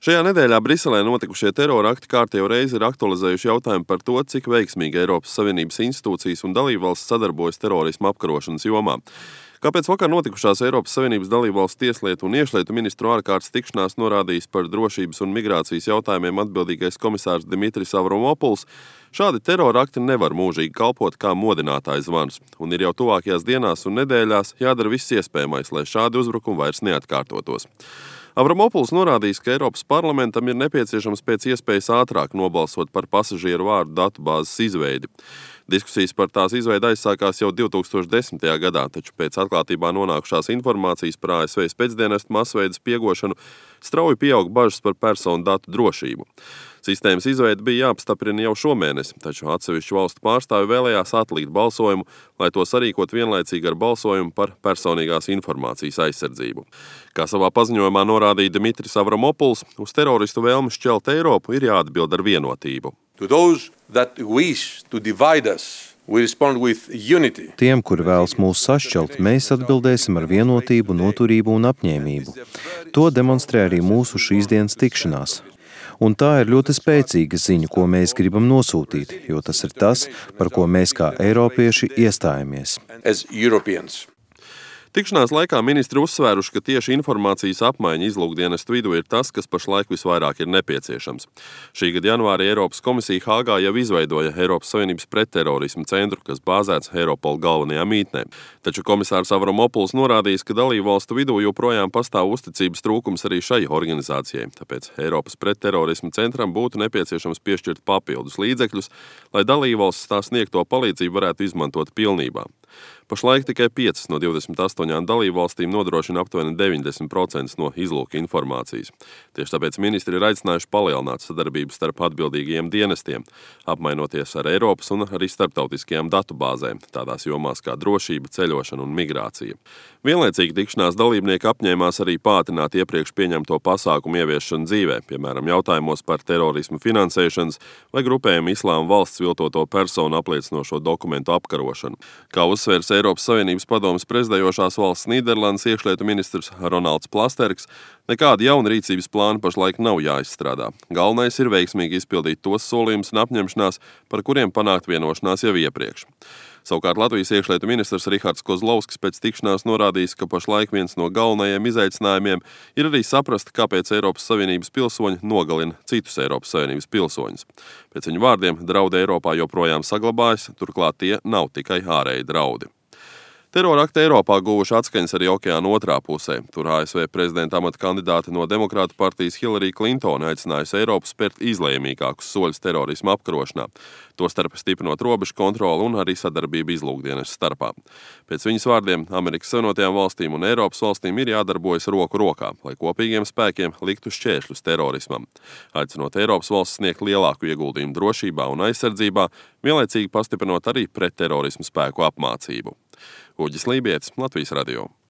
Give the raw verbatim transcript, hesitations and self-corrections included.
Šajā nedēļā Briselē notikušie terora akti kārtējo reizi ir aktualizējuši jautājumu par to, cik veiksmīgi Eiropas Savienības institūcijas un dalībvalstis sadarbojas terorisma apkarošanas jomā. Kāpēc vakar notikušās Eiropas Savienības dalībvalstu tieslietu un iekšlietu ministru ārkārtas tikšanās norādījis par drošības un migrācijas jautājumiem atbildīgais komisārs Dimitris Avramopuls, šādi terora akti nevar mūžīgi kalpot kā modinātājs zvans, un ir jau tuvākajās dienās un nedēļās jādara viss iespējamais, lai šādi uzbrukumi vairs neatkārtotos. Avramopuls norādījis, ka Eiropas parlamentam ir nepieciešams pēc iespējas ātrāk nobalsot par pasažieru vārdu datubāzes izveidi. Diskusijas par tās izveidi aizsākās jau divi tūkstoši desmitajā gadā, taču pēc atklātībā nonākušās informācijas par A S V spēcdienestu masveidu spiegošanu strauji pieaug bažas par personu datu drošību. Sistēmas izveide bija jāapstiprina jau šomēnes, taču atsevišķu valstu pārstāvi vēlējās atlikt balsojumu, lai to sarīkot vienlaicīgi ar balsojumu par personīgās informācijas aizsardzību. Kā savā paziņojumā norādīja Dimitris Avramopuls, uz teroristu vēlmi šķelt Eiropu ir jāatbild ar vienotību. To those that wish to divide us, we respond with unity. Tiem, kuri vēlas mūs sašķelt, mēs atbildēsim ar vienotību, noturību un apņēmību. To demonstrē arī mūsu šīs dienas tikšanās. Un tā ir ļoti spēcīga ziņa, ko mēs gribam nosūtīt, jo tas ir tas, par ko mēs kā eiropieši iestājamies. As Europeans. Tikšanās laikā ministri uzsvēruši, ka tieši informācijas apmaiņa izlūkdienestu vidū ir tas, kas pašlaik visvairāk ir nepieciešams. Šī gada janvārī Eiropas komisija Hāgā jau izveidoja Eiropas Savienības pretterorisma centru, kas bāzēts Eiropola galvenajā mītnē. Taču komisārs Avramopuls norādījis, ka dalībvalstu vidū joprojām pastāv uzticības trūkums arī šai organizācijai. Tāpēc Eiropas pretterorisma centram būtu nepieciešams piešķirt papildus līdzekļus, lai dalībvalstis tā sniegto palīdzību varētu izmantot pilnībā. Pašlaik tikai piecas no divdesmit astoņām dalībvalstīm nodrošina aptuveni deviņdesmit procenti no izlūka informācijas. Tieši tāpēc ministri ir aicinājuši palielināt sadarbību starp atbildīgajiem dienestiem, apmainoties ar Eiropas un arī starptautiskajām datubāzēm, tādās jomās kā drošība, ceļošana un migrācija. Vienlaicīgi tikšanās dalībnieki apņēmās arī pātrināt iepriekš pieņemto pasākumu ieviešanu dzīvē, piemēram, jautājumos par terorismu finansēšanas vai grupējumu Islāma valsts viltoto personu apliecinošo dokumentu apkarošanu. Kā uzsvērs Eiropas Savienības padomes prezidējošās valsts Nīderlandes iekšlietu ministrs Ronalds Plasterks, nekāda jauna rīcības plāna pašlaik nav jāizstrādā. Galvenais ir veiksmīgi izpildīt tos solījumus un apņemšanās, par kuriem panākt vienošanās jau iepriekš. Savukārt Latvijas iekšlietu ministrs Rihards Kozlovskis pēc tikšanās norādījis, ka pašlaik viens no galvenajiem izaicinājumiem ir arī saprast, kāpēc Eiropas Savienības pilsoņi nogalina citus Eiropas Savienības pilsoņus. Pēc viņu vārdiem draudi Eiropā joprojām saglabājas, turklāt tie nav tikai ārēji draudi. Terora akti Eiropā guvuši atskaņas arī okeāna otrā pusē. Tur A S V prezidenta amata kandidāte no Demokrātu partijas Hillary Clinton aicinājusi Eiropu spērt izlēmīgākus soļus terorisma apkarošanā, tostarp stiprinot robežu kontroli un arī sadarbību izlūkdienestu starpā. Pēc viņas vārdiem Amerikas Savienotajām valstīm un Eiropas valstīm ir jādarbojas roku rokā, lai kopīgiem spēkiem liktu šķēršļus terorismam, aicinot Eiropas valsts sniegt lielāku ieguldījumu drošībā un aizsardzībā, vienlaicīgi pastiprinot arī pretterorismu spēku apmācību. Uģis Lībietis, Latvijas radio.